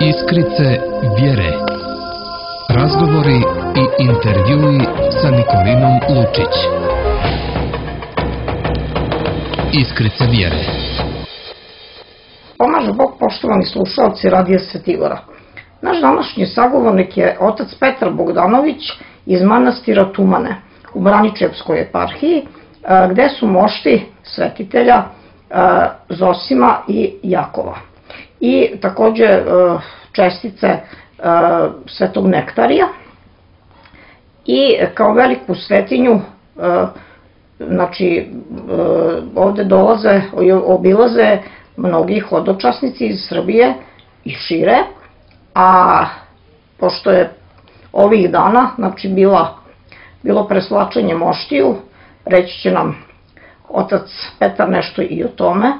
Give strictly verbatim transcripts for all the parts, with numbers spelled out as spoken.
Iskrice vjere. Razgovori i intervjui sa Nikolinom Lučić. Iskrice vjere. Pomaže Bog, poštovani slušalci Radija Svetigora. Naš današnji sagovornik je otac Petar Bogdanović iz manastira Tumane u Braničevskoj eparhiji, gde su mošti svetitelja Zosima i Jakova. I takođe čestice Svetog Nektarija. I kao veliku svetinju, znači, ovde dolaze, obilaze mnogi hodočasnici iz Srbije i šire, a pošto je ovih dana, znači, bila, bilo preslačenje moštiju, reći će nam otac Petar nešto i o tome,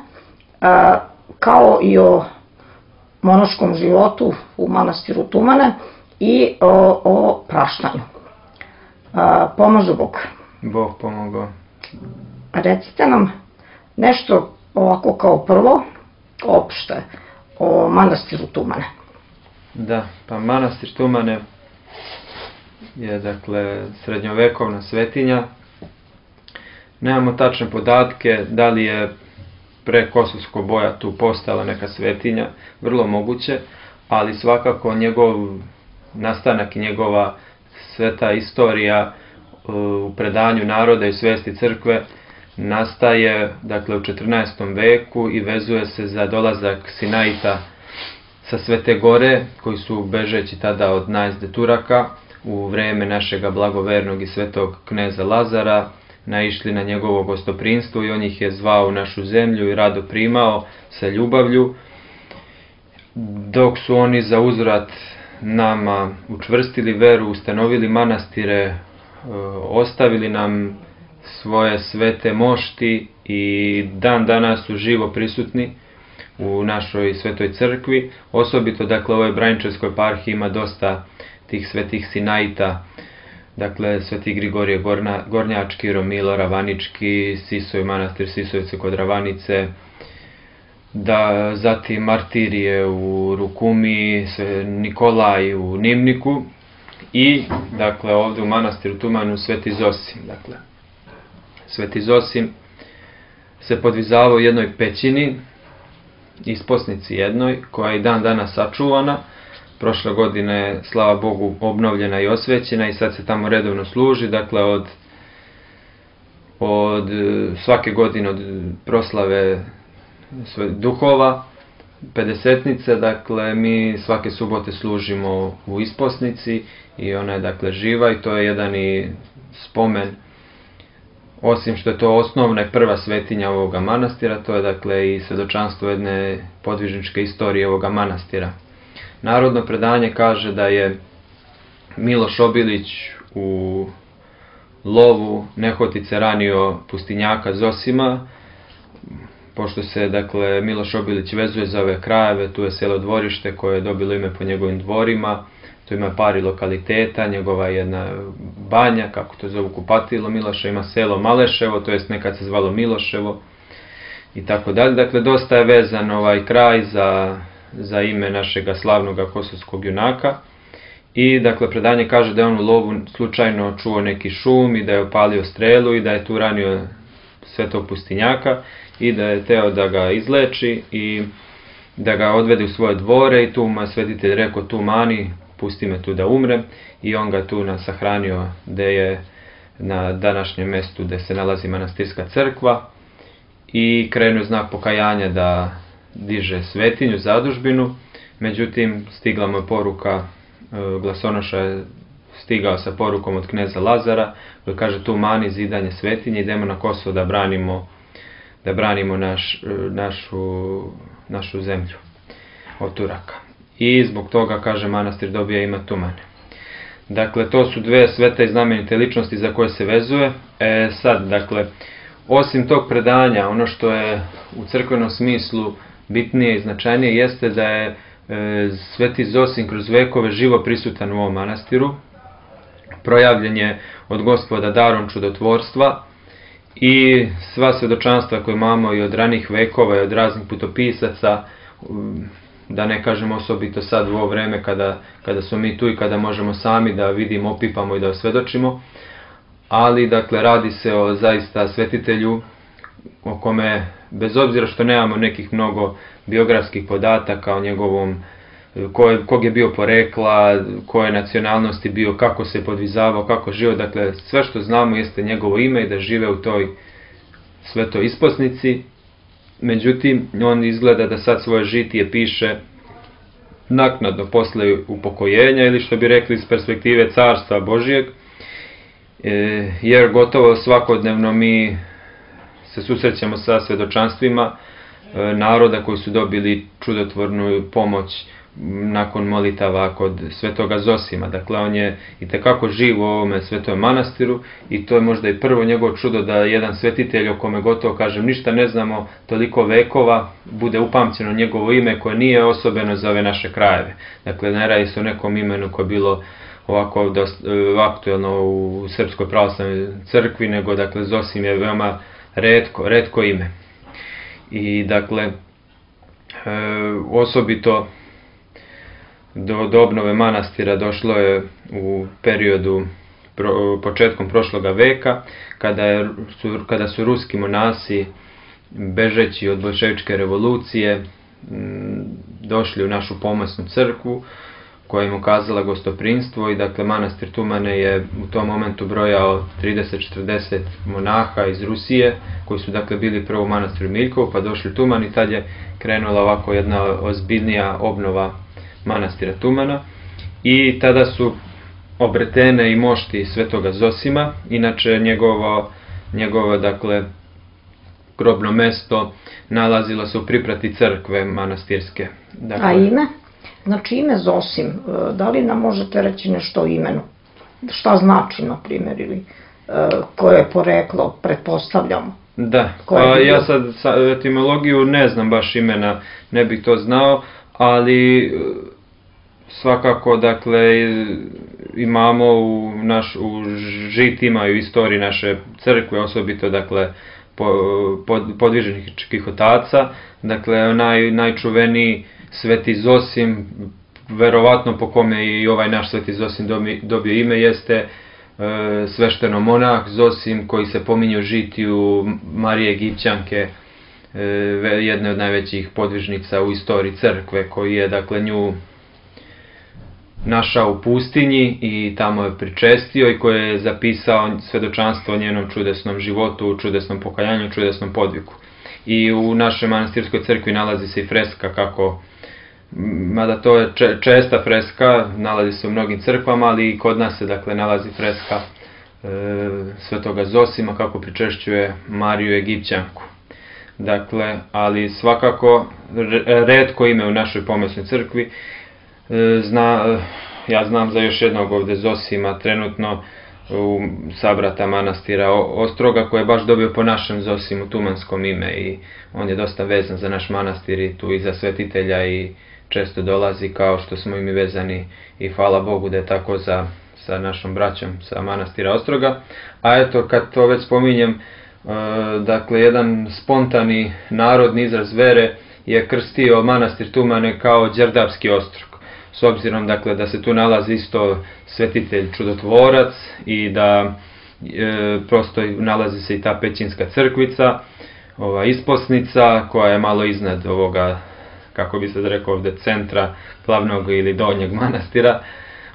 kao i o monaškom životu u manastiru Tumane i o, o praštanju. Pomaže Bog. Bog pomogao. Recite nam nešto ovako kao prvo, opšte, o manastiru Tumane. Da, pa manastir Tumane je, dakle, srednjovekovna svetinja. Nemamo tačne podatke da li je pre Kosovskog boja tu postala neka svetinja, vrlo moguće, ali svakako njegov nastanak i njegova sveta istorija u predanju naroda i svesti crkve nastaje, dakle, u četrnaestom veku i vezuje se za dolazak Sinaita sa Svete Gore, koji su, bežeći tada od najezde Turaka, u vreme našega blagovernog i svetog kneza Lazara, naišli na njegovo gostoprinstvo i on ih je zvao u našu zemlju i rado primao sa ljubavlju, dok su oni za uzvrat nama učvrstili veru, ustanovili manastire, ostavili nam svoje svete mošti i dan danas su živo prisutni u našoj svetoj crkvi. Osobito, dakle, u ovoj Braničevskoj eparhiji ima dosta tih svetih Sinaita, dakle, Sveti Grigorije Gornjački, Romilo Ravanički, Sisoj, manastir Sisojevce kod Ravanice, da zatim martirije u Rukumi, Nikolaj u Nimniku i, dakle, ovde u manastiru Tumanu Sveti Zosim. Dakle, Sveti Zosim se podvizavao u jednoj pećini, isposnici jednoj, koja je i dan danas sačuvana. Prošle godine, slava Bogu, obnovljena i osvećena i sad se tamo redovno služi. Dakle, od, od svake godine od proslave duhova, pedesetnice, dakle, mi svake subote služimo u isposnici i ona je, dakle, živa i to je jedan i spomen, osim što je to osnovna i prva svetinja ovoga manastira, to je, dakle, i svedočanstvo jedne podvižničke istorije ovoga manastira. Narodno predanje kaže da je Miloš Obilić u lovu nehotice ranio pustinjaka Zosima, pošto se, dakle, Miloš Obilić vezuje za ove krajeve, tu je selo Dvorište koje je dobilo ime po njegovim dvorima, tu ima pari lokaliteta, njegova jedna banja, kako to zovu, kupatilo Miloša, ima selo Maleševo, to jest nekad se zvalo Miloševo i tako dalje. Dakle, dosta je vezan ovaj kraj za za ime našega slavnog kosovskog junaka i, dakle, predanje kaže da je on u lovu slučajno čuo neki šum i da je opalio strelu i da je tu ranio svetog pustinjaka i da je teo da ga izleči i da ga odvede u svoje dvore i tu mu je svetitelj rekao: tu mani, pusti me tu da umrem, i on ga tu sahranio gde je na današnjem mestu gde se nalazi manastirska crkva i krenuo znak pokajanja da diže svetinju, zadužbinu. Međutim, stigla mu je poruka, glasonoša je stigao sa porukom od kneza Lazara, koji kaže: tu mani zidanje svetinje, idemo na Kosovo da branimo, da branimo naš, našu, našu zemlju od Turaka. I zbog toga, kaže, manastir dobija ime Tumane. Dakle, to su dve svete i znamenite ličnosti za koje se vezuje. E, sad, dakle, osim tog predanja, ono što je u crkvenom smislu bitnije i značajnije jeste da je e, Sveti Zosim kroz vekove živo prisutan u ovom manastiru. Projavljen je od Gospoda darom čudotvorstva i sva svedočanstva koje imamo i od ranih vekova i od raznih putopisaca da ne kažem osobito sad u ovo vreme kada, kada smo mi tu i kada možemo sami da vidimo, opipamo i da osvedočimo. Ali, dakle, radi se o zaista svetitelju o kome, bez obzira što nemamo nekih mnogo biografskih podataka o njegovom, ko je, kog je bio porekla, koje nacionalnosti bio, kako se podvizavao, kako živio, dakle, sve što znamo jeste njegovo ime i da žive u toj svetoj isposnici. Međutim, on izgleda da sad svoje žitije piše naknadno posle upokojenja ili što bi rekli iz perspektive carstva Božijeg, jer gotovo svakodnevno mi se susrećemo sa svedočanstvima naroda koji su dobili čudotvornu pomoć nakon molitava kod svetoga Zosima. Dakle, on je itekako živ u ovome svetom manastiru i to je možda i prvo njegovo čudo da jedan svetitelj o kome gotovo, kažem, ništa ne znamo toliko vekova, bude upamćeno njegovo ime koje nije osobeno za ove naše krajeve. Dakle, ne radi se o nekom imenu koje je bilo ovako dosta, aktuelno u Srpskoj pravoslavnoj crkvi, nego, dakle, Zosim je veoma retko, retko ime. I, dakle, e, osobito do, do obnove manastira došlo je u periodu pro, početkom prošloga veka, kada, je, su, kada su ruski monasi, bežeći od boljševičke revolucije, m, došli u našu pomosnu crkvu, koja im ukazala gostoprinstvo i, dakle, manastir Tumane je u tom momentu brojao trideset do četrdeset monaha iz Rusije, koji su, dakle, bili prvo u manastiru Miljkovu, pa došli u Tuman i tad je krenula ovako jedna ozbiljnija obnova manastira Tumana. I tada su obretene i mošti svetoga Zosima, inače njegovo, njegovo dakle, grobno mesto nalazilo se u priprati crkve manastirske. Dakle, a ime? Znači, ime Zosim, da li nam možete reći nešto o imenu? Šta znači, na primjer, ili koje je poreklo, pretpostavljamo? Da, pa ja sad etimologiju ne znam baš imena, ne bih to znao, ali svakako, dakle, imamo u, naš, u žitima i u istoriji naše crkve, osobito, dakle, pod, podvižničkih otaca, dakle, naj, najčuveniji Sveti Zosim, verovatno po kome i ovaj naš Sveti Zosim dobio ime, jeste e, svešteno monah Zosim, koji se pominje u žitiju Marije Egipćanke, e, jedne od najvećih podvižnica u istoriji crkve, koji je, dakle, nju našao u pustinji i tamo je pričestio i koji je zapisao svedočanstvo o njenom čudesnom životu, čudesnom pokajanju, čudesnom podviku. I u našoj manastirskoj crkvi nalazi se i freska kako, mada to je česta freska, nalazi se u mnogim crkvama, ali i kod nas se, dakle, nalazi freska e, svetoga Zosima kako pričešćuje Mariju Egipćanku. Dakle, ali svakako retko ime u našoj pomesnoj crkvi. E, zna, ja znam za još jednog ovde Zosima trenutno u sabrata manastira Ostroga, koji je baš dobio po našem Zosimu tumanskom ime i on je dosta vezan za naš manastir i tu i za svetitelja i često dolazi, kao što smo i mi vezani, i hvala Bogu da je tako za, sa našom braćom sa manastira Ostroga. A eto, kad to već spominjem, e, dakle, jedan spontani narodni izraz vere je krstio manastir Tumane kao Đerdapski ostrog. S obzirom, dakle, da se tu nalazi isto svetitelj čudotvorac i da e, prosto nalazi se i ta pećinska crkvica, ova isposnica koja je malo iznad ovoga, kako bi se rekao ovde, centra glavnog ili donjeg manastira.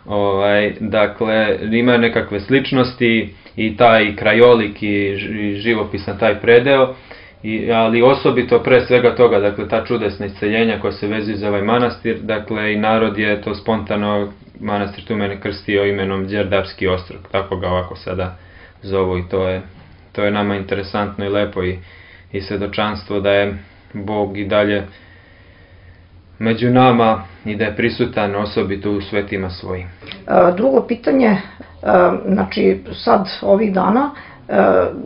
Ovaj, dakle, ima nekakve sličnosti i taj krajolik i živopisan taj predeo, i, ali osobito pre svega toga, dakle, ta čudesna isceljenja koja se vezuju za ovaj manastir, dakle, i narod je to spontano manastir Tumane krstio imenom Đerdapski ostrog, tako ga ovako sada zovu, i to je, to je nama interesantno i lepo i, i svedočanstvo da je Bog i dalje među nama i da je prisutan osobito u svetima svojim. Drugo pitanje, znači sad ovih dana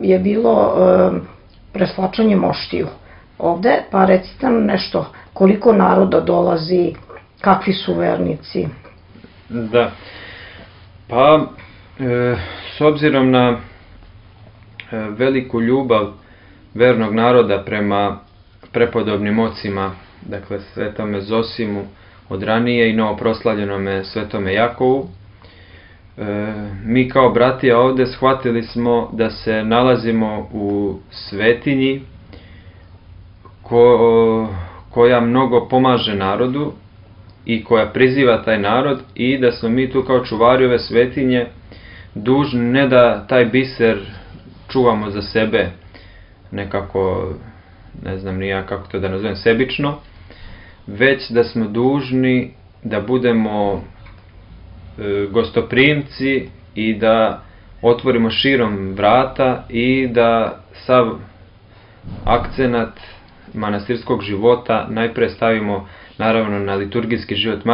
je bilo preslačanje moštiju ovde, pa recite nam nešto, koliko naroda dolazi, kakvi su vernici? Da, pa e, s obzirom na veliku ljubav vernog naroda prema prepodobnim ocima dakle Svetome Zosimu od ranije i novoproslavljenome Svetome Jakovu. E, mi kao bratija ovde shvatili smo da se nalazimo u svetinji ko, koja mnogo pomaže narodu i koja priziva taj narod, i da smo mi tu kao čuvari ove svetinje dužni ne da taj biser čuvamo za sebe nekako, ne znam ni ja kako to da nazovem, sebično, već da smo dužni da budemo e, gostoprimci i da otvorimo širom vrata i da sav akcenat manastirskog života najpre stavimo naravno na liturgijski život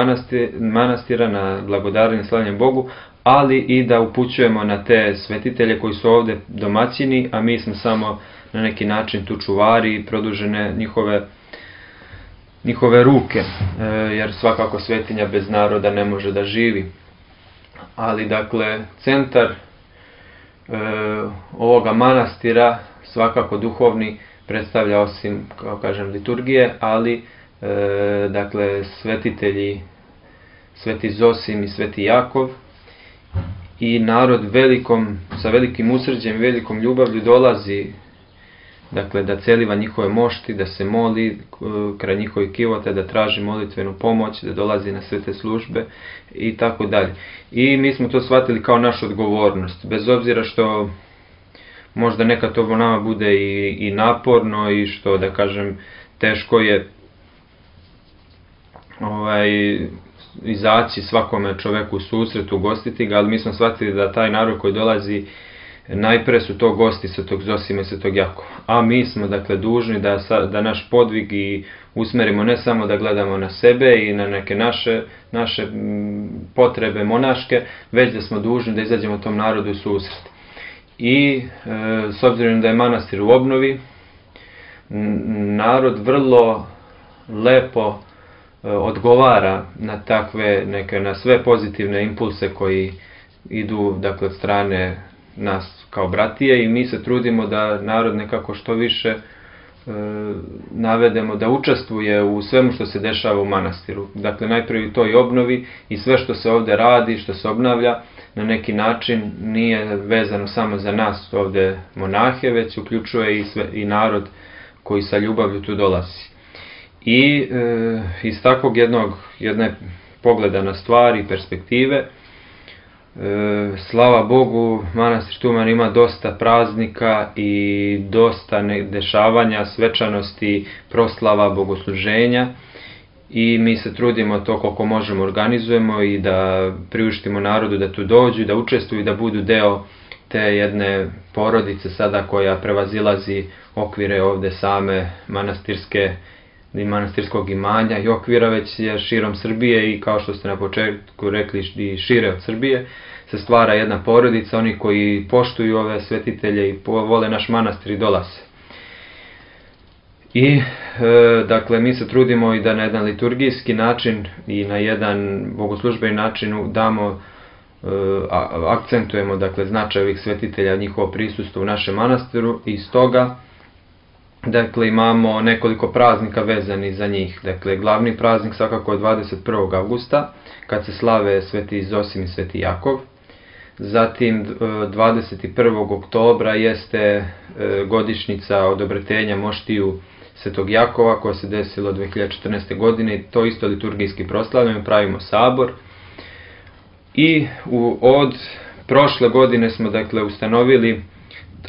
manastira, na blagodarenje slavljenje Bogu, ali i da upućujemo na te svetitelje koji su ovde domaćini, a mi smo samo na neki način tu čuvari i produžene njihove, njihove ruke, e, jer svakako svetinja bez naroda ne može da živi. Ali dakle, centar e, ovoga manastira, svakako duhovni, predstavlja osim, kao kažem, liturgije, ali e, dakle svetitelji Sveti Zosim i Sveti Jakov, i narod velikom, sa velikim usrđem i velikom ljubavlju dolazi, dakle, da celiva njihove mošti, da se moli kraj njihovih kivota, da traži molitvenu pomoć, da dolazi na svete službe i tako dalje. I mi smo to shvatili kao našu odgovornost, bez obzira što možda nekad to nama bude i, i naporno i što, da kažem, teško je ovaj, izaći svakome čoveku u susret, ugostiti ga, ali mi smo shvatili da taj narod koji dolazi, najpre su to gosti Svetog Zosima i Svetog Jakova. A mi smo, dakle, dužni da, da naš podvig i usmerimo ne samo da gledamo na sebe i na neke naše, naše potrebe monaške, već da smo dužni da izađemo tom narodu u susret. I e, s obzirom da je manastir u obnovi, narod vrlo lepo e, odgovara na takve, neke, na sve pozitivne impulse koji idu, dakle, od strane nas kao bratije, i mi se trudimo da narod nekako što više e, navedemo da učestvuje u svemu što se dešava u manastiru. Dakle, najprije u toj obnovi, i sve što se ovde radi, što se obnavlja, na neki način nije vezano samo za nas ovde monahe, već uključuje i, sve, i narod koji sa ljubavlju tu dolazi. I e, iz takvog jednog, jedne pogleda na stvari i perspektive, e, slava Bogu, manastir Tuman ima dosta praznika i dosta dešavanja, svečanosti, proslava, bogosluženja, i mi se trudimo to koliko možemo organizujemo i da priuštimo narodu da tu dođu, da učestvuju i da budu deo te jedne porodice sada koja prevazilazi okvire ovde same manastirske i manastirskog imanja i okvira, već je širom Srbije, i kao što ste na početku rekli, i šire od Srbije se stvara jedna porodica, oni koji poštuju ove svetitelje i vole naš manastir i dolaze. I, e, dakle, mi se trudimo i da na jedan liturgijski način i na jedan bogoslužbeni način damo, e, akcentujemo, dakle, značaj ovih svetitelja, njihovo prisustvo u našem manastiru, i stoga, dakle, imamo nekoliko praznika vezani za njih. Dakle, glavni praznik svakako je dvadeset prvog avgusta, kad se slave Sveti Zosim i Sveti Jakov. Zatim dvadeset prvog oktobra jeste godišnjica odobretenja moštiju Svetog Jakova, koja se desilo dve hiljade četrnaeste. godine, i to isto liturgijski proslavljamo, pravimo sabor. I u, od prošle godine smo, dakle, ustanovili,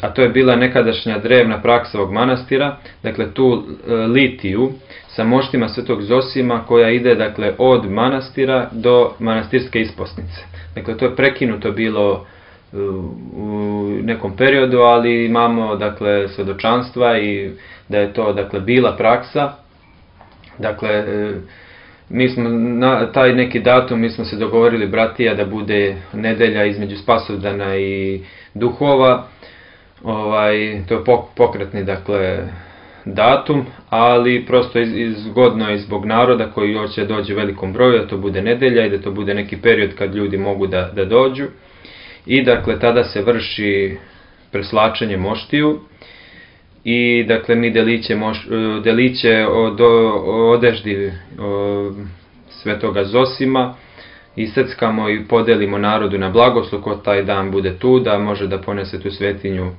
a to je bila nekadašnja drevna praksa ovog manastira, dakle, tu e, litiju sa moštima Svetog Zosima, koja ide, dakle, od manastira do manastirske isposnice. Dakle, to je prekinuto bilo e, u nekom periodu, ali imamo, dakle, svedočanstva i da je to, dakle, bila praksa. Dakle, e, mi smo na taj neki datum, mi smo se dogovorili, bratija, da bude nedelja između Spasovdana i Duhova. Ovaj, to je pokretni, dakle, datum, ali prosto iz, izgodno je zbog naroda koji hoće dođe u velikom broju, da to bude nedelja i da to bude neki period kad ljudi mogu da, da dođu. I, dakle, tada se vrši preslačenje moštiju i dakle mi deliće, moš, deliće od, odeždi o, Svetoga Zosima iseckamo i podelimo narodu na blagoslov ko taj dan bude tu, da može da ponese tu svetinju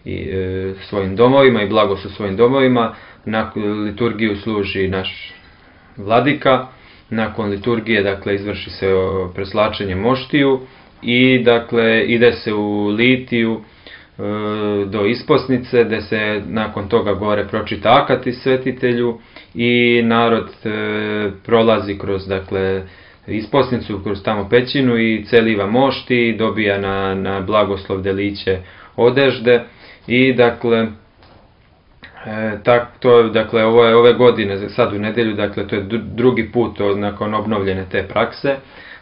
i e, svojim domovima i blagoslov svojim domovima. Na liturgiju služi naš vladika, nakon liturgije dakle izvrši se preslačenje moštiju i dakle ide se u litiju e, do isposnice, gde se nakon toga gore pročita akati svetitelju i narod e, prolazi kroz dakle isposnicu, kroz tamo pećinu i celiva mošti i dobija na, na blagoslov deliće odežde i dakle E, tak, to je, dakle, ovo je ove godine, sad u nedelju, dakle, to je drugi put od, nakon obnovljene te prakse.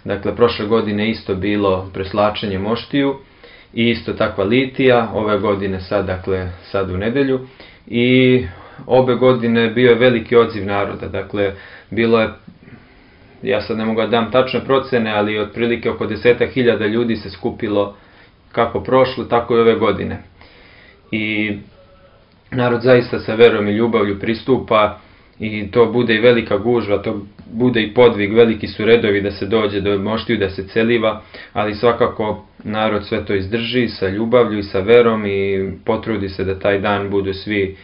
Dakle, prošle godine isto bilo preslačenje moštiju i isto takva litija, ove godine sad, dakle, sad u nedelju. I obe godine bio je veliki odziv naroda, dakle, bilo je, ja sad ne mogu da dam tačne procene, ali otprilike oko desetak hiljada ljudi se skupilo kako prošle, tako i ove godine. I narod zaista sa verom i ljubavlju pristupa i to bude i velika gužva, to bude i podvig, veliki su redovi da se dođe do moštiju, da se celiva, ali svakako narod sve to izdrži sa ljubavlju i sa verom i potrudi se da taj dan budu svi,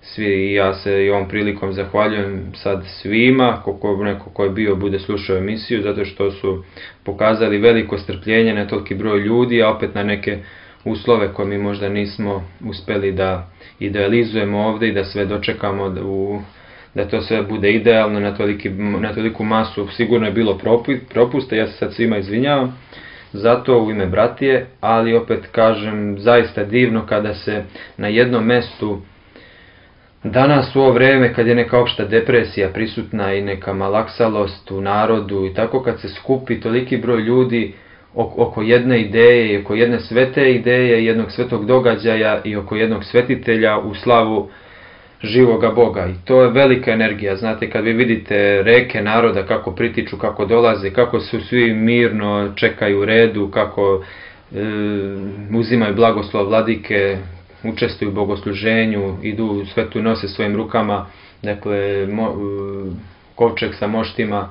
svi i ja se i ovom prilikom zahvaljujem sad svima, kako neko ko je bio bude slušao emisiju, zato što su pokazali veliko strpljenje na toliki broj ljudi, a opet na neke uslove koje mi možda nismo uspeli da idealizujemo ovde i da sve dočekamo, da, u, da to sve bude idealno na, toliki, na toliku masu. Sigurno je bilo propusta, ja se sad svima izvinjavam zato u ime bratije, ali opet kažem, zaista divno kada se na jednom mestu danas u ovo vreme kad je neka opšta depresija prisutna i neka malaksalost u narodu i tako kad se skupi toliki broj ljudi oko jedne ideje i oko jedne svete ideje, jednog svetog događaja i oko jednog svetitelja u slavu živoga Boga. I to je velika energija. Znate, kad vi vidite reke naroda kako pritiču, kako dolaze, kako su svi mirno čekaju u redu, kako e, uzimaju blagoslov vladike, učestvuju u bogosluženju, idu u svetu nose svojim rukama, dakle, mo, kovčeg sa moštima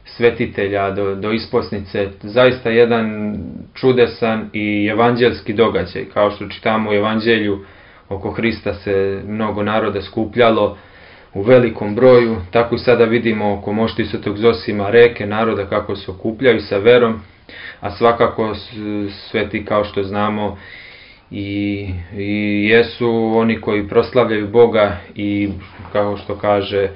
svetitelja do, do isposnice, zaista jedan čudesan i evanđelski događaj. Kao što čitamo u evanđelju, oko Hrista se mnogo naroda skupljalo u velikom broju, tako i sada vidimo oko moštiju Svetog Zosima reke naroda kako se okupljaju sa verom, a svakako sveti kao što znamo i, i jesu oni koji proslavljaju Boga i kao što kaže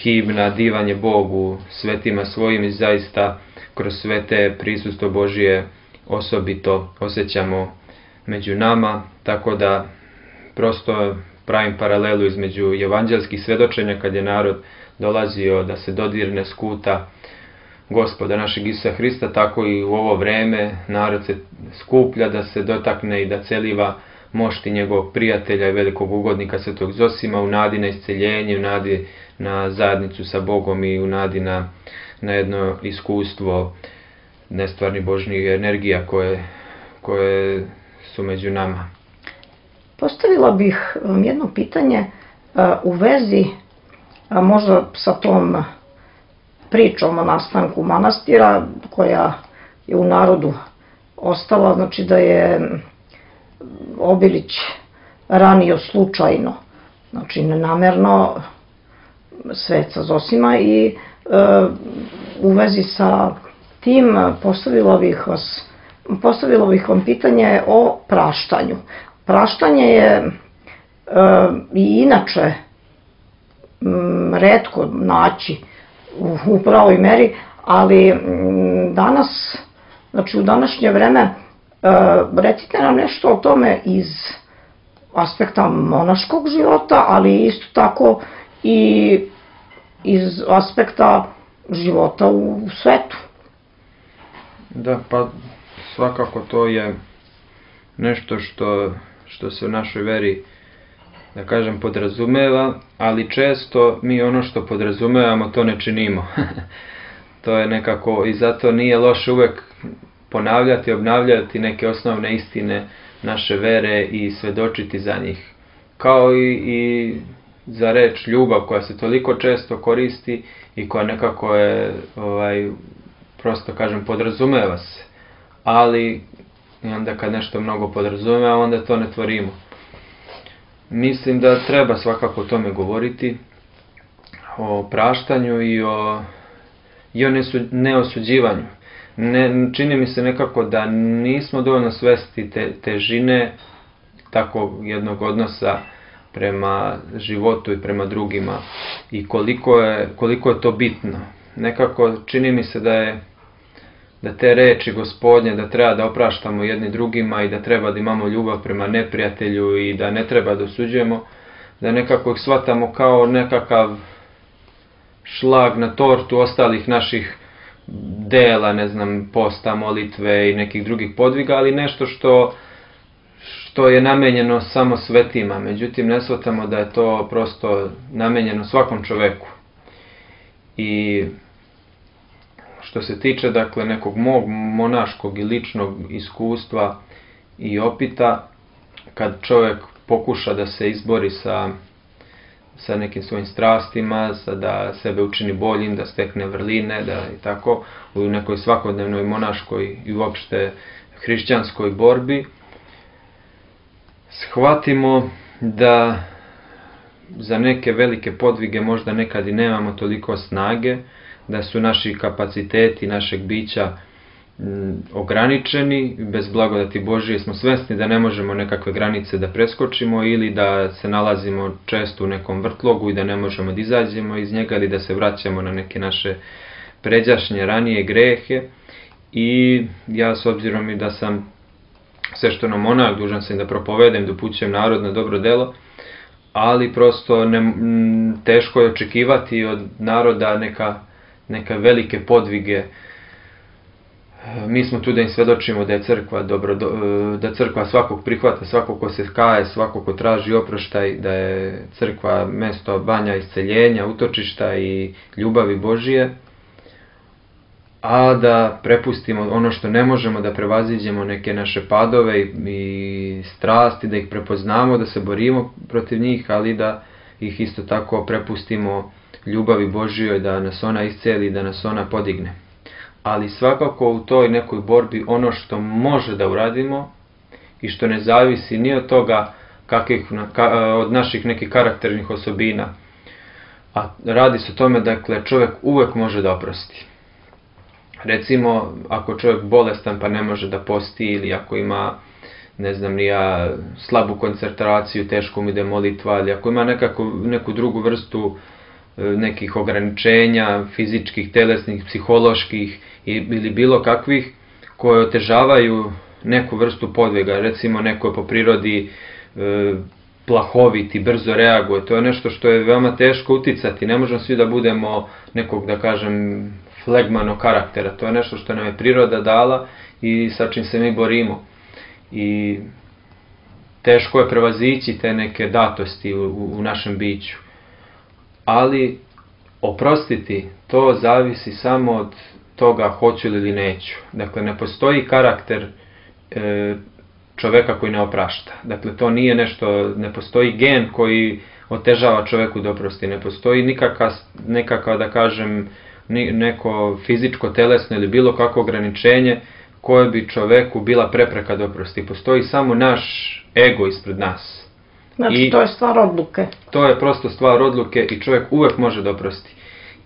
himna divanje Bogu, svetima svojim i zaista kroz svete prisustvo Božije osobito osjećamo među nama, tako da prosto pravim paralelu između evanđelskih svedočenja kad je narod dolazio da se dodirne skuta Gospoda našeg Isusa Hrista, tako i u ovo vreme narod se skuplja da se dotakne i da celiva mošti njegovog prijatelja i velikog ugodnika Svetog Zosima u nadi na isceljenje, u nadi na zajednicu sa Bogom i u nadi na, na jedno iskustvo nestvarni Božjih energija koje, koje su među nama. Postavila bih vam jedno pitanje u vezi možda sa tom pričom o nastanku manastira koja je u narodu ostala, znači da je Obilić ranio slučajno, znači nenamerno sveca Zosima i e, u vezi sa tim postavila bih vas, postavila bih vam pitanje o praštanju. Praštanje je e, i inače m, retko naći u, u pravoj meri, ali m, danas, znači u današnje vreme, e, recite nam nešto o tome iz aspekta monaškog života, ali isto tako i iz aspekta života u svetu. Da, pa svakako to je nešto što, što se u našoj veri, da kažem, podrazumeva, ali često mi ono što podrazumevamo to ne činimo. To je nekako, i zato nije loše uvek ponavljati, obnavljati neke osnovne istine naše vere i svedočiti za njih. kao i, i za reč ljubav koja se toliko često koristi i koja nekako je, ovaj, prosto kažem, podrazumeva se. Ali onda kad nešto mnogo podrazumeva, onda to ne tvorimo. Mislim da treba svakako o tome govoriti, o praštanju i o, i o nesu, neosuđivanju. Ne, čini mi se nekako da nismo dovoljno svesti te, težine takvog jednog odnosa prema životu i prema drugima i koliko je, koliko je to bitno. Nekako čini mi se da je da te reči Gospodnje, da treba da opraštamo jedni drugima i da treba da imamo ljubav prema neprijatelju i da ne treba da osuđujemo, da nekako ih shvatamo kao nekakav šlag na tortu ostalih naših dela, ne znam, posta, molitve i nekih drugih podviga, ali nešto što, što je namenjeno samo svetima. Međutim, ne shvatamo da je to prosto namenjeno svakom čoveku. I što se tiče, dakle, nekog mog monaškog i ličnog iskustva i opita, kad čovjek pokuša da se izbori sa, sa nekim svojim strastima, sa da sebe učini boljim, da stekne vrline, da i tako, u nekoj svakodnevnoj monaškoj i uopšte hrišćanskoj borbi, shvatimo da za neke velike podvige možda nekad i nemamo toliko snage, da su naši kapaciteti našeg bića m, ograničeni, bez blagodati Božije smo svesni da ne možemo nekakve granice da preskočimo ili da se nalazimo često u nekom vrtlogu i da ne možemo da izađemo iz njega ili da se vraćamo na neke naše pređašnje ranije grehe. I ja, s obzirom i da sam svešteno monah, dužan sam da propovedem, da upućujem narod na dobro delo, ali prosto ne, m, teško je očekivati od naroda neka neka velike podvige. Mi smo tu da im svedočimo da je crkva dobro, da crkva svakog prihvata, svakog ko se kaje, svakog ko traži oproštaj, da je crkva mesto banja isceljenja, utočišta i ljubavi Božije, a da prepustimo ono što ne možemo, da prevaziđemo neke naše padove i, i strasti, da ih prepoznamo, da se borimo protiv njih, ali da ih isto tako prepustimo ljubavi Božijoj, da nas ona isceli, da nas ona podigne. Ali svakako u toj nekoj borbi ono što može da uradimo i što ne zavisi ni od toga kakvih, od naših nekih karakternih osobina, a radi se o tome, dakle, čovjek uvek može da oprosti. Recimo, ako čovjek bolestan pa ne može da posti, ili ako ima, ne znam ni ja, slabu koncentraciju, teško mu ide molitva, ili ako ima nekako, neku drugu vrstu nekih ograničenja, fizičkih, telesnih, psiholoških ili bilo kakvih, koje otežavaju neku vrstu podviga. Recimo, neko je po prirodi e, plahovit i brzo reaguje. To je nešto što je veoma teško uticati. Ne možemo svi da budemo nekog, da kažem, flegmanog karaktera. To je nešto što nam je priroda dala i sa čim se mi borimo. I teško je prevazići te neke datosti u, u, u našem biću. Ali oprostiti, to zavisi samo od toga hoću ili neću. Dakle, ne postoji karakter e, čoveka koji ne oprašta. Dakle, to nije nešto, ne postoji gen koji otežava čoveku da oprosti. Ne postoji nikakav, nekakav, da kažem, neko fizičko, telesno ili bilo kakvo ograničenje koje bi čoveku bila prepreka da oprosti. Postoji samo naš ego ispred nas. Znači, I to je stvar odluke. To je prosto stvar odluke i čovjek uvek može da oprosti.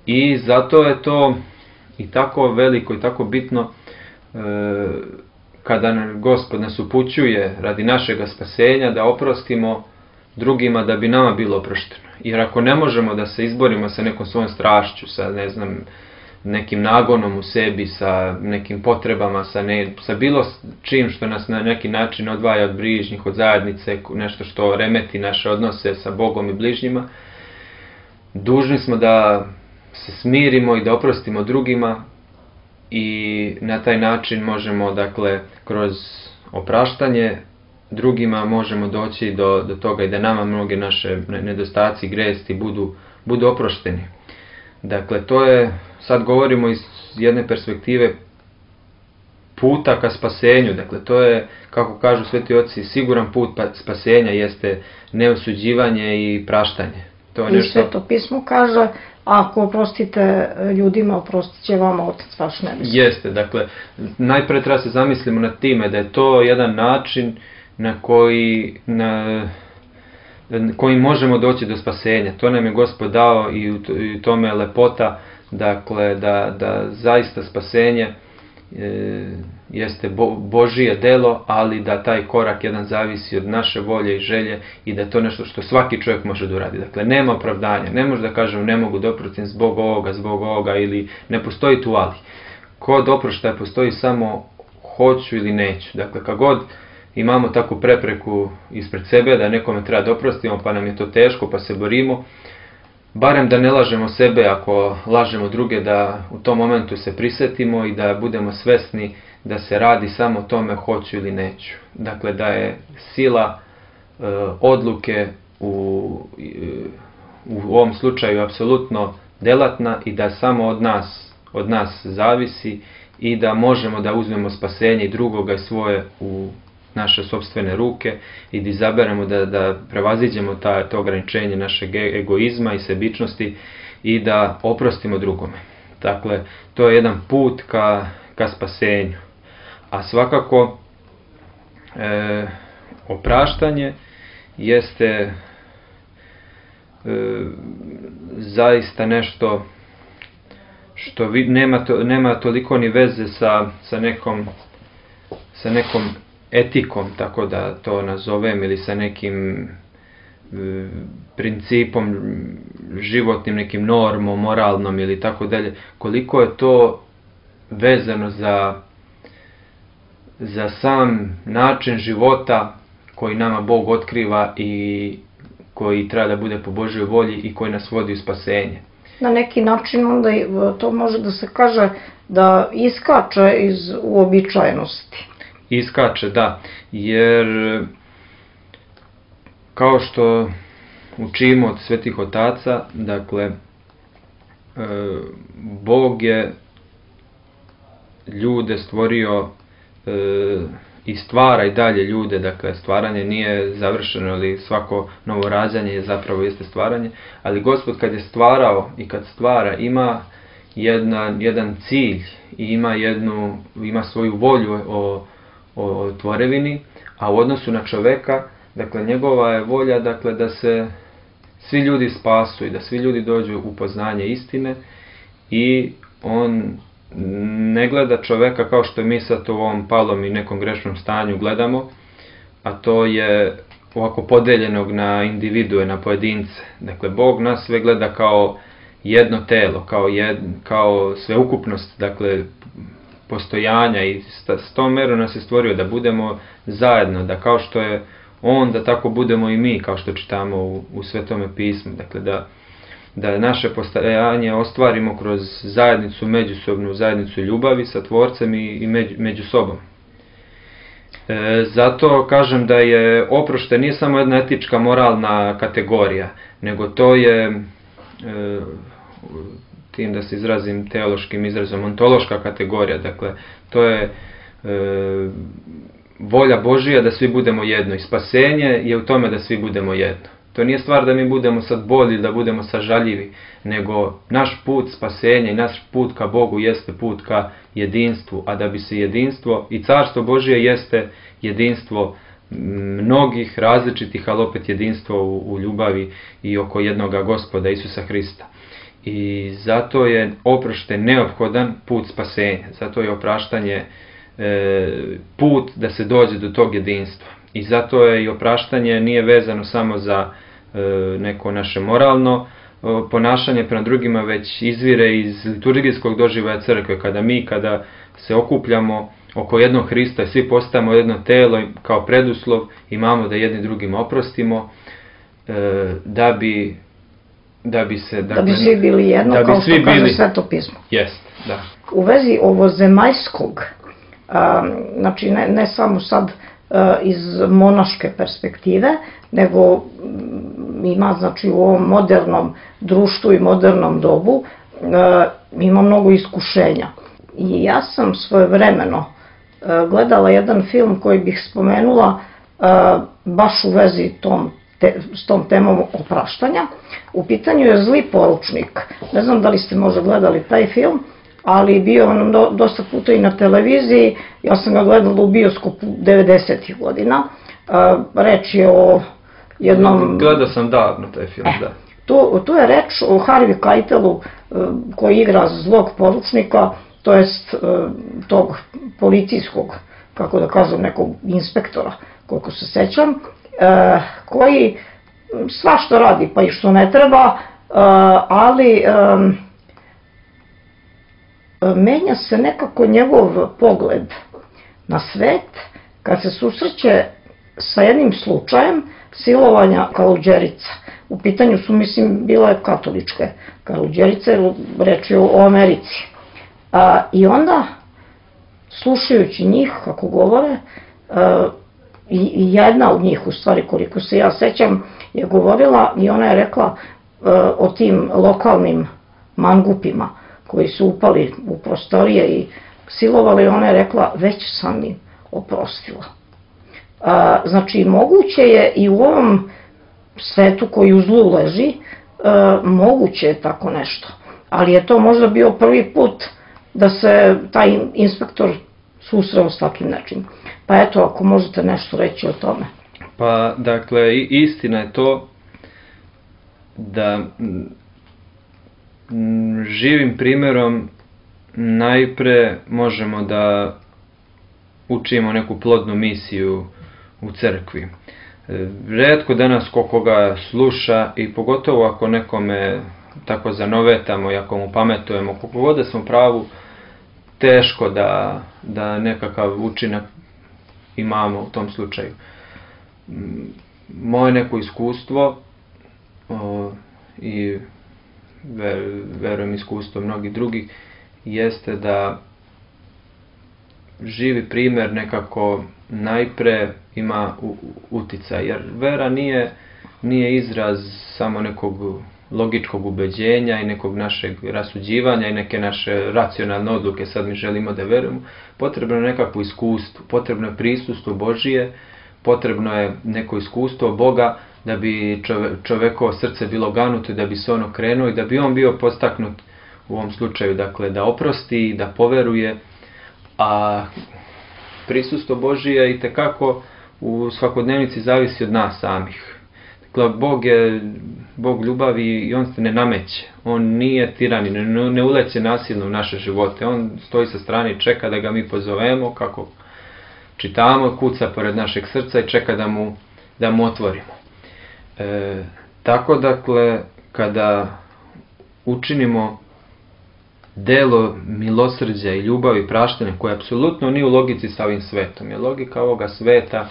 I zato je to i tako veliko i tako bitno e, kada Gospod nas upućuje radi našega spasenja da oprostimo drugima da bi nama bilo oprošteno. Jer ako ne možemo da se izborimo sa nekom svojom strašću, sa, ne znam, nekim nagonom u sebi, sa nekim potrebama, sa, ne, sa bilo čim što nas na neki način odvaja od bližnjih, od zajednice, nešto što remeti naše odnose sa Bogom i bližnjima, dužni smo da se smirimo i da oprostimo drugima i na taj način možemo, dakle, kroz opraštanje drugima možemo doći do, do toga i da nama mnoge naše nedostaci, gresti budu, budu oprošteni. Dakle, to je, sad govorimo iz jedne perspektive puta ka spasenju. Dakle, to je, kako kažu sveti oci, siguran put pa spasenja jeste neosuđivanje i praštanje. To je I nešto... Sveto pismo kaže, ako oprostite ljudima, oprostit će vama Otac vaš nebeski. Jeste, dakle, najpre treba se zamislimo nad time da je to jedan način na koji, na, koji možemo doći do spasenja. To nam je Gospod dao i u tome je lepota, dakle, da, da zaista spasenje e, jeste bo, Božije delo, ali da taj korak jedan zavisi od naše volje i želje i da je to nešto što svaki čovjek može da uradi. Dakle, nema opravdanja, ne može da kažem ne mogu da oprostim zbog ovoga, zbog ovoga ili ne postoji tu ali. Kod oproštaja postoji samo hoću ili neću. Dakle, kad god imamo takvu prepreku ispred sebe da nekome treba da oprostimo pa nam je to teško pa se borimo, barem da ne lažemo sebe, ako lažemo druge, da u tom momentu se prisetimo i da budemo svesni da se radi samo o tome hoću ili neću. Dakle, da je sila e, odluke u, u ovom slučaju apsolutno delatna i da samo od nas, od nas zavisi i da možemo da uzmemo spasenje i drugoga i svoje u naše sopstvene ruke i da izaberemo da, da prevaziđemo ta, to ograničenje našeg egoizma i sebičnosti i da oprostimo drugome. Dakle, to je jedan put ka, ka spasenju. A svakako e, opraštanje jeste e, zaista nešto što vi, nema, to, nema toliko ni veze sa, sa nekom sa nekom etikom, tako da to nazovem, ili sa nekim e, principom životnim, nekim normom, moralnom ili tako dalje, koliko je to vezano za, za sam način života koji nama Bog otkriva i koji treba da bude po Božjoj volji i koji nas vodi u spasenje. Na neki način onda to može da se kaže da iskače iz uobičajenosti. Iskače, da, jer kao što učimo od svetih otaca, dakle, Bog je ljude stvorio i stvara i dalje ljude, dakle, stvaranje nije završeno, ali svako novo rađanje je zapravo jeste stvaranje, ali Gospod kad je stvarao i kad stvara ima jedna, jedan cilj i ima, jednu, ima svoju volju o o tvorevini, a u odnosu na čoveka, dakle, njegova je volja, dakle, da se svi ljudi spasu i da svi ljudi dođu u poznanje istine i on ne gleda čoveka kao što mi sad u ovom palom i nekom grešnom stanju gledamo, a to je ovako podeljenog na individue, na pojedince. Dakle, Bog nas sve gleda kao jedno telo, kao, jed, kao sveukupnost, dakle, postojanja i s tom merom nas je stvorio da budemo zajedno, da kao što je on, da tako budemo i mi, kao što čitamo u, u Svetome pismu. Dakle, da, da naše postojanje ostvarimo kroz zajednicu, međusobnu zajednicu ljubavi sa Tvorcem i, i među, među sobom. E, zato kažem da je oproštaj nije samo jedna etička, moralna kategorija, nego to je e, tim da se izrazim teološkim izrazom, ontološka kategorija. Dakle, to je e, volja Božija da svi budemo jedno i spasenje je u tome da svi budemo jedno. To nije stvar da mi budemo sad bolji, da budemo sažaljivi, nego naš put spasenja i naš put ka Bogu jeste put ka jedinstvu, a da bi se jedinstvo i carstvo Božije jeste jedinstvo mnogih različitih, ali opet jedinstvo u, u ljubavi i oko jednoga Gospoda Isusa Hrista. I zato je oproštaj neophodan put spasenja, zato je opraštanje e, put da se dođe do tog jedinstva. I zato je i opraštanje nije vezano samo za e, neko naše moralno e, ponašanje prema drugima, već izvire iz liturgijskog doživljaja crkve, kada mi, kada se okupljamo oko jednog Hrista i svi postajemo jedno telo kao preduslov, imamo da jedni drugima oprostimo, e, da bi Da bi, se, dakle, da bi svi bili jedno, da bi kao što svi kaže bili, Sveto pismo. Jest, da. U vezi ovozemaljskog, a, znači ne, ne samo sad a, iz monaške perspektive, nego m, ima, znači, u ovom modernom društvu i modernom dobu a, ima mnogo iskušenja. I ja sam svojevremeno gledala jedan film koji bih spomenula baš u vezi tom, te, s tom temom opraštanja. U pitanju je Zli poručnik. Ne znam da li ste možda gledali taj film, ali bio on do, dosta puta i na televiziji. Ja sam ga gledala u bioskopu devedesetih godina. Reč je o jednom... Gledao sam davno taj film, e, da. Tu, tu je reč o Harvey Keitelu koji igra zlog poručnika, to jest tog policijskog, kako da kažem, nekog inspektora, koliko se sećam, koji svašta radi, pa i što ne treba, ali menja se nekako njegov pogled na svet kad se susreće sa jednim slučajem silovanja Kaluđerica. U pitanju su, mislim, bile katoličke Kaluđerice, reč je o Americi. A, I onda, slušajući njih, kako govore, a, i jedna od njih, u stvari, koliko se ja sećam, je govorila i ona je rekla a, o tim lokalnim mangupima koji su upali u prostorije i silovali, ona je rekla, već sam im oprostila. A, znači, moguće je i u ovom svetu koji u zlu leži, a, moguće je tako nešto. Ali je to možda bio prvi put da se taj inspektor susreo s takvim nečim. Pa eto, ako možete nešto reći o tome. Pa, dakle, istina je to da m, živim primjerom najpre možemo da učimo neku plodnu misiju u crkvi. Retko danas ko koga sluša i pogotovo ako nekome tako zanovetamo i ako mu pametujemo, koliko god da smo pravu, teško da, da nekakav učinak imamo u tom slučaju. Moje neko iskustvo o, i ver, verujem iskustvo mnogih drugih jeste da živi primjer nekako najpre ima uticaj, jer vera nije, nije izraz samo nekog logičkog ubeđenja i nekog našeg rasuđivanja i neke naše racionalne odluke, sad mi želimo da verujemo. Potrebno je nekakvo iskustvo, potrebno je prisustvo Božije, potrebno je neko iskustvo Boga da bi čove, čovekovo srce bilo ganuto i da bi se ono krenuo i da bi on bio postaknut u ovom slučaju, dakle da oprosti, da poveruje, a prisustvo Božije itekako u svakodnevnici zavisi od nas samih. Dakle, Bog je Bog ljubavi i on se ne nameće. On nije tiranin, ne, ne uleće nasilno u naše živote. On stoji sa strane i čeka da ga mi pozovemo, kako čitamo, kuca pored našeg srca i čeka da mu, da mu otvorimo. E, tako, dakle, kada učinimo delo milosrđa i ljubavi i praštanja koje apsolutno nije u logici sa ovim svetom. Jer logika ovoga sveta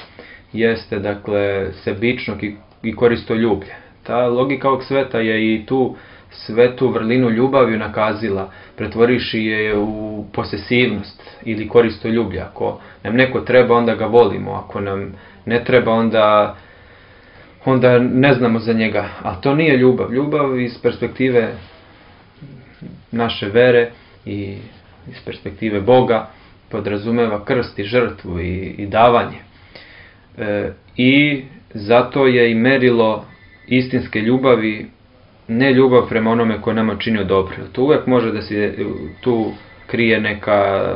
jeste, dakle, sebičnog i, i koristoljublje. Ta logika ovog sveta je i tu svetu vrlinu ljubavi nakazila, pretvoriši je u posesivnost ili koristoljublje. Ako nam neko treba, onda ga volimo. Ako nam ne treba, onda, onda ne znamo za njega. A to nije ljubav. Ljubav iz perspektive naše vere i iz perspektive Boga podrazumeva krst i žrtvu i, i davanje. E, I zato je i merilo istinske ljubavi ne ljubav prema onome ko nama činio dobro. To uvijek može da se tu krije neka e,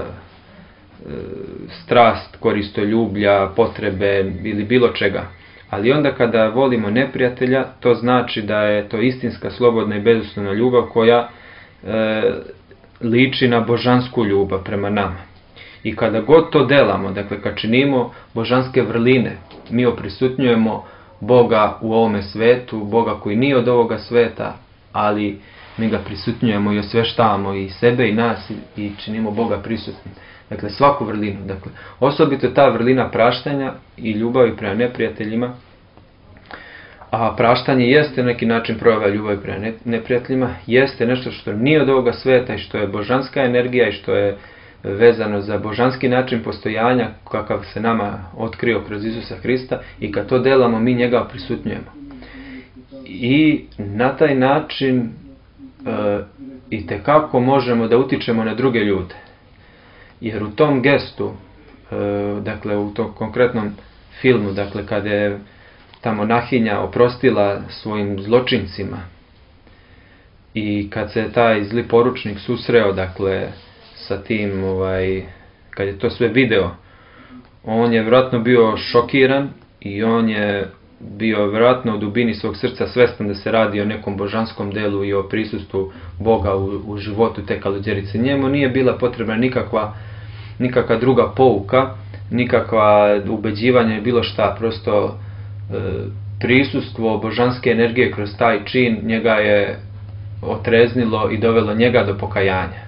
strast, koristoljublja, potrebe ili bilo čega. Ali onda kada volimo neprijatelja, to znači da je to istinska, slobodna i bezuslovna ljubav koja e, liči na božansku ljubav prema nama. I kada god to delamo, dakle kad činimo božanske vrline, mi oprisutnjujemo Boga u ovome svetu, Boga koji nije od ovoga sveta, ali mi ga prisutnjujemo i osveštavamo i sebe i nas i, i činimo Boga prisutnim. Dakle, svaku vrlinu. Dakle, osobito ta vrlina praštanja i ljubavi prema neprijateljima, a praštanje jeste neki način projava ljubavi prema neprijateljima, jeste nešto što nije od ovoga sveta i što je božanska energija i što je vezano za božanski način postojanja kakav se nama otkrio kroz Isusa Hrista i kad to delamo mi njega prisutnjujemo. I na taj način e, itekako možemo da utičemo na druge ljude. Jer u tom gestu dakle u tom konkretnom filmu, dakle kada je ta monahinja oprostila svojim zločincima i kad se taj zli poručnik susreo, dakle, sa tim, ovaj, kad je to sve video, on je vjerojatno bio šokiran i on je bio vjerojatno u dubini svog srca svestan da se radi o nekom božanskom delu i o prisustvu Boga u, u životu te Kaluđerice. Njemu nije bila potrebna nikakva, nikakva druga pouka, nikakva ubeđivanja i bilo šta, prosto e, prisustvo božanske energije kroz taj čin njega je otreznilo i dovelo njega do pokajanja.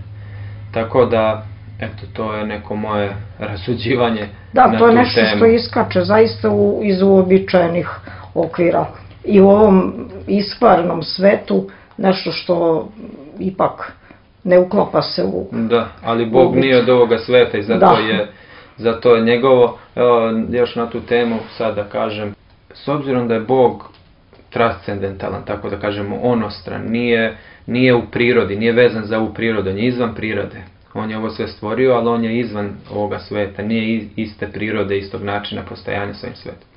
Tako da, eto, to je neko moje rasuđivanje da, na tu temu. Da, to je nešto što iskače zaista u, iz uobičajenih okvira. I u ovom iskvarnom svetu nešto što ipak ne uklapa se u... Da, ali Bog uobič... nije od ovoga sveta i zato, da. je, zato je njegovo, evo, još na tu temu sad da kažem, s obzirom da je Bog transcendentalan, tako da kažemo onostran, nije, nije u prirodi, nije vezan za ovu prirodu, on je izvan prirode. On je ovo sve stvorio, ali on je izvan ovoga sveta, nije iste prirode, istog načina postojanja svojim svetom.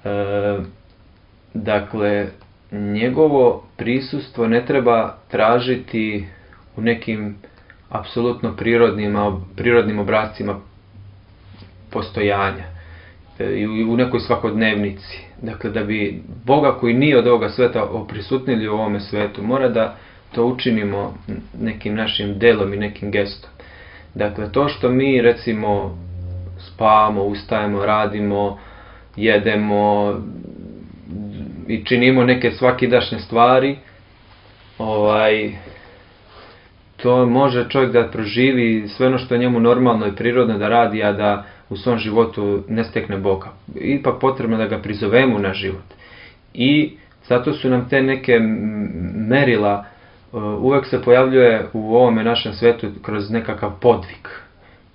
E, dakle, njegovo prisustvo ne treba tražiti u nekim apsolutno prirodnim, prirodnim obrazcima postojanja i u nekoj svakodnevnici. Dakle, da bi Boga koji nije od ovoga sveta oprisutnili u ovome svetu, mora da to učinimo nekim našim delom i nekim gestom. Dakle, to što mi recimo spavamo, ustajemo, radimo, jedemo i činimo neke svakidašnje stvari, ovaj, to može čovjek da proživi sve ono što je njemu normalno i prirodno da radi, a da u svom životu ne stekne Boga. Ipak potrebno da ga prizovemo na život. I zato su nam te neke merila, uvek se pojavljuje u ovome našem svetu kroz nekakav podvig.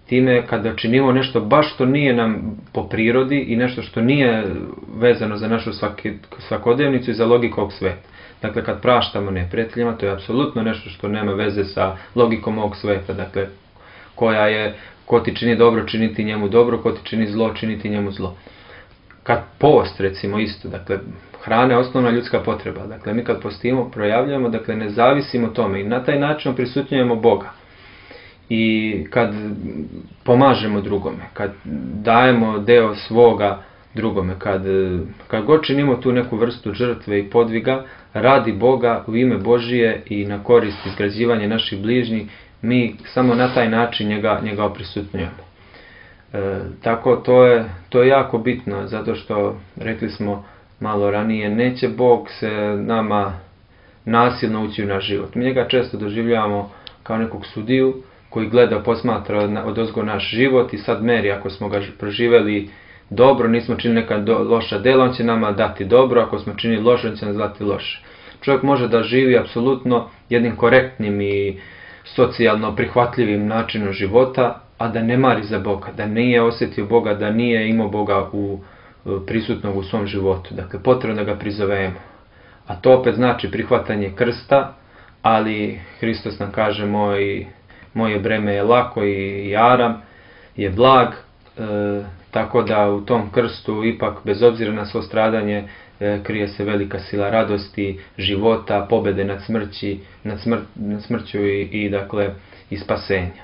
Time kada činimo nešto baš što nije nam po prirodi i nešto što nije vezano za našu svakodnevnicu i za logiku ovog sveta. Dakle, kad praštamo neprijateljima, to je apsolutno nešto što nema veze sa logikom ovog sveta. Dakle, koja je, ko ti čini dobro, činiti njemu dobro, ko ti čini zlo, činiti njemu zlo. Kad post, recimo, isto, dakle, hrana je osnovna ljudska potreba. Dakle, mi kad postimo, projavljujemo, dakle, ne zavisimo tome i na taj način prisutnjujemo Boga. I kad pomažemo drugome, kad dajemo deo svoga drugome, kad, kad god činimo tu neku vrstu žrtve i podviga, radi Boga u ime Božije i na korist izgrađivanja naših bližnjih, mi samo na taj način njega, njega oprisutnjujemo. E, tako to je, to je jako bitno, zato što, rekli smo malo ranije, neće Bog se nama nasilno ući u naš život. Mi njega često doživljavamo kao nekog sudiju koji gleda, posmatra odozgo naš život i sad meri, ako smo ga proživeli dobro, nismo činili neka do, loša dela, on će nama dati dobro, ako smo činili loše, on će nas dati loše. Čovjek može da živi apsolutno jednim korektnim i socijalno prihvatljivim načinom života, a da ne mari za Boga, da nije osjetio Boga, da nije imao Boga u, prisutnog u svom životu. Dakle, potrebno da ga prizovemo. A to opet znači prihvatanje krsta, ali Hristos nam kaže moj, moje breme je lako i jaram, je blag, e, tako da u tom krstu ipak bez obzira na svo stradanje e, krije se velika sila radosti, života, pobede nad smrći, nad, smr, nad smrću i, i dakle i spasenja.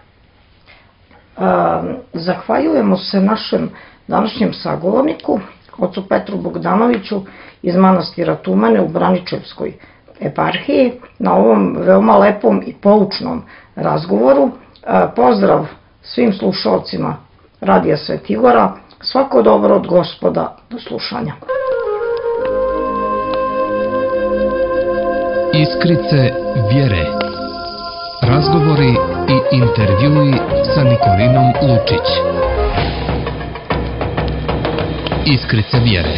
A, zahvaljujemo se našem današnjem sagovorniku, ocu Petru Bogdanoviću iz manastira Tumane u Braničevskoj eparhiji na ovom veoma lepom i poučnom razgovoru. A, pozdrav svim slušalcima Radija Svetigora, svako dobro od Gospoda, do slušanja. Iskrice vjere. Razgovori i intervjui sa Nikolinom Lučić. Iskrice vjere.